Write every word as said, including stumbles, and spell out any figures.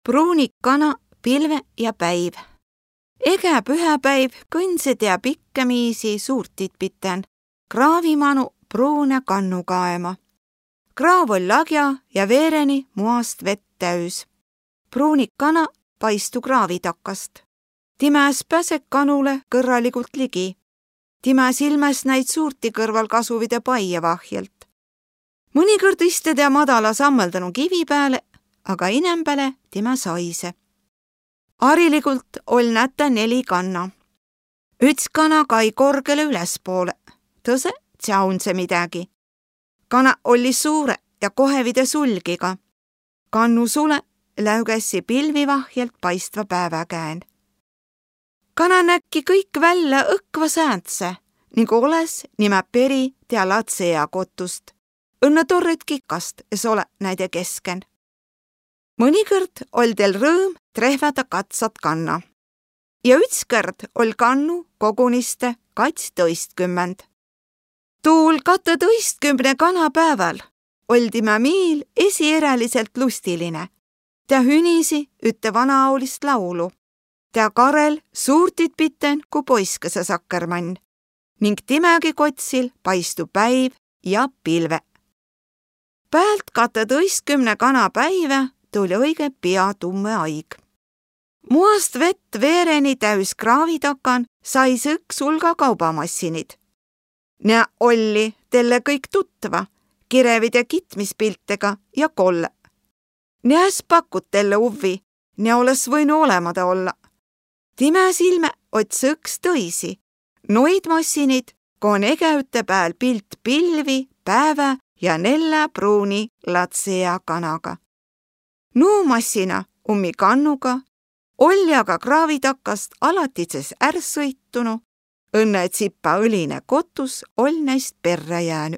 Pruunik kana, pilve ja päiv. Egä pühäpäiv kõndsede pikkämiisi suurtit pitän kraavi manu pruunõ kannu kaema. Kraav oll' lagja ja veereni muast vett täüs. Pruunik kana paistu kraavi takast. Timä es päse kanulõ kõrraligult ligi. Timä silmäs näid suurti kõrval kasuvide paie vahjelt. Mõnikõrd istede madala sammõldanu kivi pääle, aga inämbäle timä saise. Ariligult oll' nätä neli kanna. Üts kana kai korgele ülespoole, tõse tsaunse midägi. Kana olli suure ja kohevide sulgiga. Kannu sule läügässi pilvi vahjelt paistva päävä kään. Kana näkki kõik vällä õkva säändse, nigu olõs nimä peri tea latsea kotust. Õnnõ torret kikast es ole näide kesken. Mõnikõrd oll' teil rõõm trehväda katsat kanna. Ja ütskõrd oll' kannu koguniste katstõistkümmend. Tuul katõtõistkümne kana pääväl oll' timä miil esieräliselt lustiline. Tä hünisi ütte vanaaolist laulu. Tä karel suurtit pitän ku poiskese sakkermann. Ning timägi kotsil paistu päiv ja pilve. Päält katõtõistkümne kana päivä tuli õige pia tummõ aig. Muast vett veereni täüs kraavi takan sais õks hulga kaubamassinid. Nä olli telle kõik tutva, kirevide kitmispiltega ja kolle. Nä es pakut telle uvvi, nä olõs võinu olemada olla. Timä silmä ots õks tõisi, noid massinid, kon egä üte pääl pilt pilvi, päävä ja nellä pruuni latsea kanaga. Nuu massina ummi kannuga olli aga kraavi takast alatises är sõitunu, õnnõ tsipa õline kotus oll' näist perrä jäänü.